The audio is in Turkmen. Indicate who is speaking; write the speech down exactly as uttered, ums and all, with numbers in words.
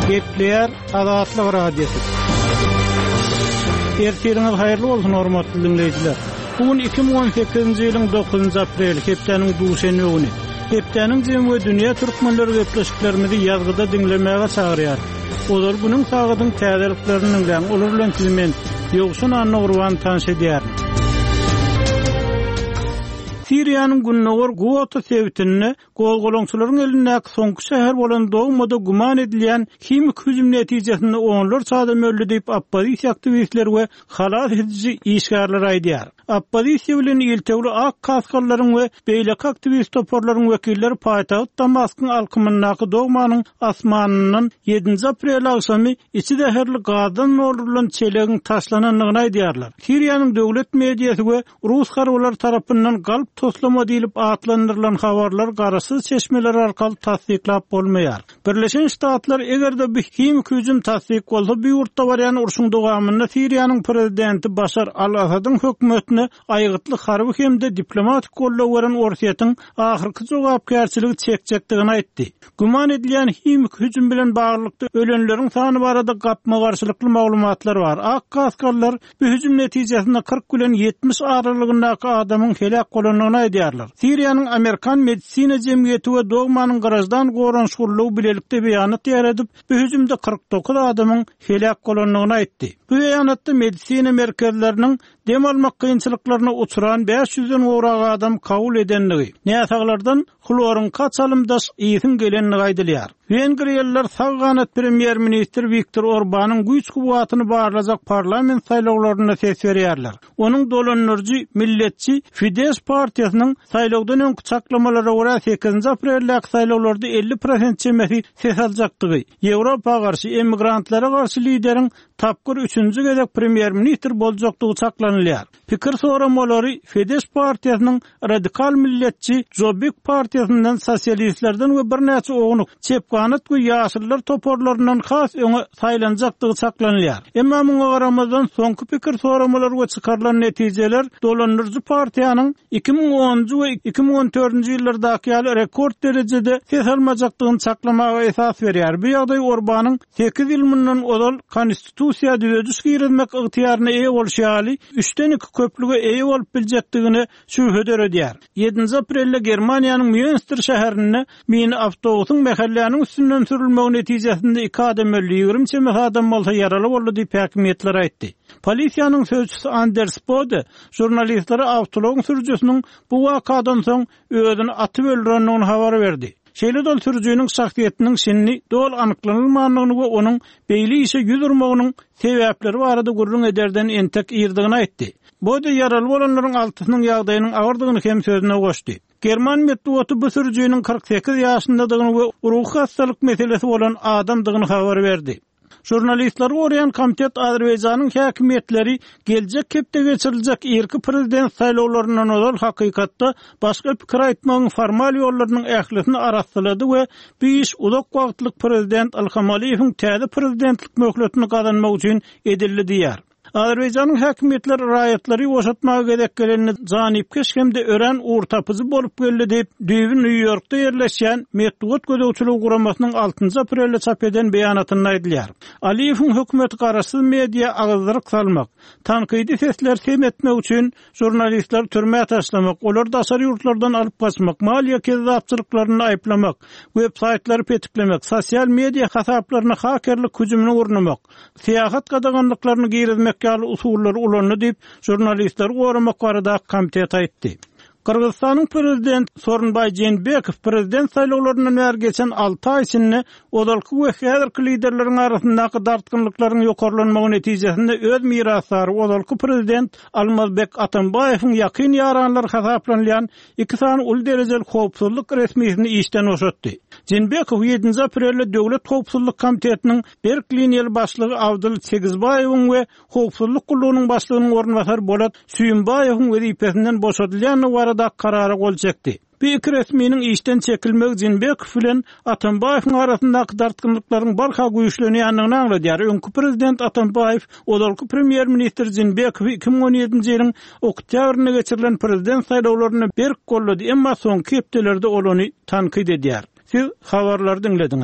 Speaker 1: Gepleýär Azatlyk Radiosy. Ertiriňiz haýyrly bolsun, hormatly dinleýjiler. Bu gün iki müň on sekizinji ýylyň dokuzynjy apreli, hepdäniň duşenbe güni. Hepdäniň jemi we dünýä türkmenleri gepleşiklerimizi ýazgyda diňlemäge çagyrýar. Ozal günüň sagadyň täzeliklerini diňläň, olar bilen sizi men Ýowşan Annagurban tanyş edýärin. Siriýanyň gündogar Guota sebitinde gozgalaňçylaryň elindäki soňky şäher bolan Dogmada güman edilýän himik hüjüm netijesinde onlarça adam öldü diýip oppozisiýa aktiwistleri we halas ediji işgärler aýdýar. Oppozisiýa bilen iltewli ak kaskallaryň we beýleki aktiwist toparlaryň wekilleri paýtagt Damaskyň alkymyndaky Dogmanyň asmanyndan ýedinji aprel agşamy içi zäherli gazdan doldurylan çelegiň taşlanandygyny aýdýarlar. Siriýanyň döwlet mediasy we Rus harbylar tarapyndan galp toslama diýlip atlandyrylan habarlar garaşsyz çeşmeler arkaly tassyklap bolmaýar. Birleşen Ştatlar eger-de bu himik hüjüm tassyk bolsa, bu ýurtda barýan urşuň dowamynda Siriýanyň prezidenti Başar al-Asadyň hökümetine aýgytly harby hem-de diplomatik goldaw beren Orsýetiň ahyrky jogapkärçiligi çekjekdigini aýtdy. Güman edilýän himik hüjüm bilen baglylykda ölenleriň sany barada gapma-garşylykly maglumatlar bar. Ak kaskallar bu hüjüm netijesinde kyrk bilen ýetmiş aralygyndaky adamyň helak bolandygyny aýdýarlar. Siriýanyň Amerikan medisina jemgyýeti we Dogmanyň grajdan goranyş gullugy bilelikde beýanat ýaýradyp, bu hüjümde kyrk dokuz adamyň helak bolandygyny aýtdy. Bu beýanatda medisina merkezleriniň dem almak kynçylyklaryna uçran bäş ýüzden gowrak adam kabul edendigi, näsaglardan hloryň kaçalymdaş ýygyň gelendigi aýdylýar. Wengriýalylar sag ganat premýer-ministr Viktor Orbanyň güýç kuwwatyny barlajak parlament saýlawlarynda ses berýärler. Onuň dolandyryjy milletçi Fidesz partiýasynyň saýlawdan öňki çaklamalara görä sekizinji apreldäki saýlawlarda elli prosent çemesi ses aljakdygy, Ýewropa garşy emigrantlara garşy lideriň tapgyr üçünji gezek premýer-ministr boljakdygy çaklanylýar. Pikir soramalary Fidesz partiýasynyň radikal milletçi Jobbik partiýasyndan sosialistlerden we birnäçe ownuk çep ganat we ýaşyllar toparlaryndan has öňe saýlanjakdygy çaklanylýar. Emma muňa garamazdan soňky pikir soramalar we çykarylan netijeler dolandyryjy partiýanyň iki müň onunjy we iki müň on dördünji ýyllardaky ýaly rekord derejede ses almajakdygyny çaklamaga esas berýär. Bu ýagdaý Orbanyň sekiz ýyl mundan ozal konstitusiýa düzediş girizmek ygtyýaryna eýe bolşy ýaly üçden iki köplüge eýe bolup biljekdigine şübhe döredýär. Ýedinji aprelde Germaniýanyň Münster şäherinde mini awtobusyň mähelläniň üstünden sürülmegi netijesinde iki adam öldü, ýigrimi çemesi adam bolsa ýaraly boldy diýip häkimiýetler aýtdy. Polisiýanyň sözçüsi Anders Bode žurnalistlere awtoulagyň sürüjisiniň bu wakadan soň özüni atyp öldürendigini habar berdi. Şeýle-de ol sürüjiniň şahsyýetiniň şindi doly anyklanylmandygyny we onuň beýle işe ýüz urmagynyň sebäpleri barada gürrüň ederden entek irdigini aýtdy. Bode ýaraly bolanlaryň altysynyň ýagdaýynyň agyrdygyny hem sözüne goşdy. German metbugaty bu sürüjiniň kyrk sekiz ýaşyndadygyny we ruhy hastalyk meselesi bolan adamdygyny habar berdi. Žurnalistleri goraýan komitet Azerbaýjanyň häkimiýetleri geljek hepde geçiriljek irki prezident saýlawlaryndan ozal hakykatda başga pikir aýtmagyň formal ýollarynyň ählisini arassalady we bu iş uzak wagtlyk prezident Ilham Aliýewiň täze prezidentlik möhletini gazanmak üçin edildi diýär. Azerbaýjanyň häkimiýetleri raýatlary boşatmaga gezek gelenini janipkeş hem-de örän ugur tapyjy bolup geldi diýip, düýbi Nýu-Ýorkda ýerleşýän metbugat gözegçiligi guramasynyň altynjy aprelde çap eden beýanatynda aýdylýar. Aliýewiň hökümeti garaşsyz media agyzdyryk salmak, tankydy sesler sem etmek üçin žurnalistleri türmä taşlamak, olary daşary ýurtlardan alyp gaçmak, maliýe kezzapçylyklaryny aýyplamak, web-saýtlary petiklemek, sosial media hasaplaryny hakerlik hüjümini gurnamak, syýahat gadaganlyklaryny girizmek ýaly usullary ulandy diýip, žurnalistleri goramak barada komitet aýtdy. Gyrgyzystanyň prezident Soronbaý Jeenbekow prezident saýlawlaryndan bäri geçen alty aý içinde ozalky we häzirki liderleriň arasyndaky dartgynlyklaryň ýokarlanmagy netijesinde öz mirasdary ozalky prezident Almazbek Atambaýewiň ýakyn ýaranlary hasaplanylýan iki sany uly derejeli howpsuzlyk resmisini işden boşatdy. Jeenbekow ýedinji aprelde Döwlet Howpsuzlyk Komitetiniň berk liniýaly başlygy Abdul Segizbaýewiň we Howpsuzlyk gullugynyň başlygynyň orunbasary Bolat Süýümbaýewiň wezipesinden boşadylýandygy barada karara gol çekdi. Bu iki resminiň işden çekilmegi Jeenbekow bilen Atambaýewiň arasyndaky dartgynlyklaryň barha güýçlenýändigini aňladýar. Öňki prezident Atambaýew ozalky premýer-ministr Jeenbekowy iki müň on ýedinji ýylyň oktýabrynda geçirilen prezident saýlawlarynda berk gollady, emma soňky hepdelerde ol ony tankyt edýär. Siz habarlary diňlediňiz.